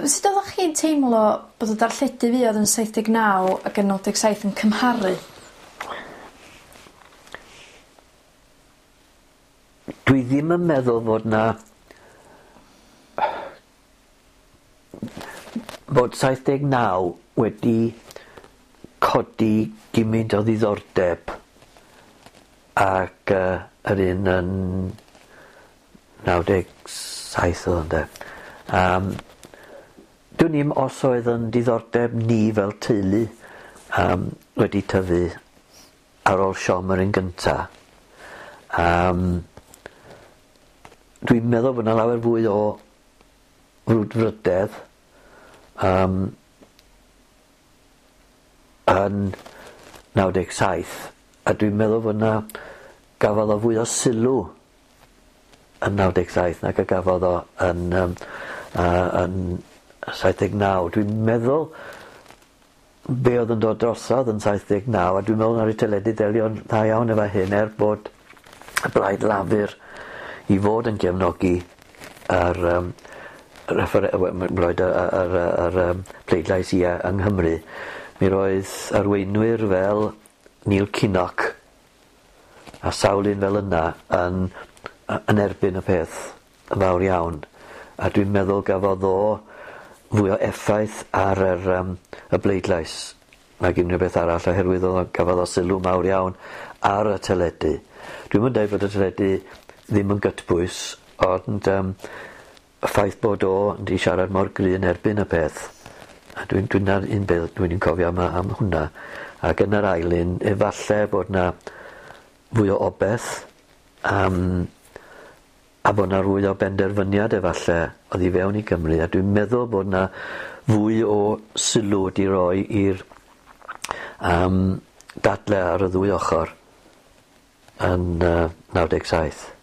Sut oddach chi'n teimlo bod y darlledu fuodd yn 79 ac yn 97 yn cymharu? Dwi ddim yn meddwl fod 'na bod 79 wedi codi gymint o ddiddordeb ag yy yr un yn 97 o'dd o ynde? Yym dwn i'm os oedd yn diddordeb ni fel teulu yym wedi tyfu ar ôl siom yr un gynta. Yym dwi'n meddwl bo' 'na lawer fwy o frwdfrydedd yym yn 97 a dwi'n meddwl fod 'na gafodd o fwy o sylw yn 97 nag y gafodd o yn yym yy yn 79. Dwi'n meddwl be' o'dd yn dod drosodd yn 79 a dwi'n meddwl naru teledu delio'n dda iawn efo hyn er bod y Blaid Lafur i fod yn gefnogi yr yym refere- yy we- m- roid y y yr yy yr yym pleidlais ie yng Nghymru mi roedd arweinwyr fel Neil Kinnock a sawl un fel yna yn yy yn erbyn y peth yn fawr iawn a dwi'n meddwl gafodd o fwy o effaith ar yr yym y bleidlais nag unrhyw beth arall oherwydd o'dd o gafodd o sylw mawr iawn ar y teledu. Dwi'm yn deud bod y teledu ddim yn gytbwys ond yym y ffaith bod o 'di siarad mor gry yn erbyn y peth a dwi'n dwi'n 'na'r un beth dwi'n cofio am yy am hwnna ac yn yr ail un efalle bod 'na fwy o obeth yym a bod 'na fwy o benderfyniad efalle oddi fewn i Gymru a dwi'n meddwl bod 'na fwy o sylw wedi roi i'r yym dadle ar y ddwy ochor yn yy 97.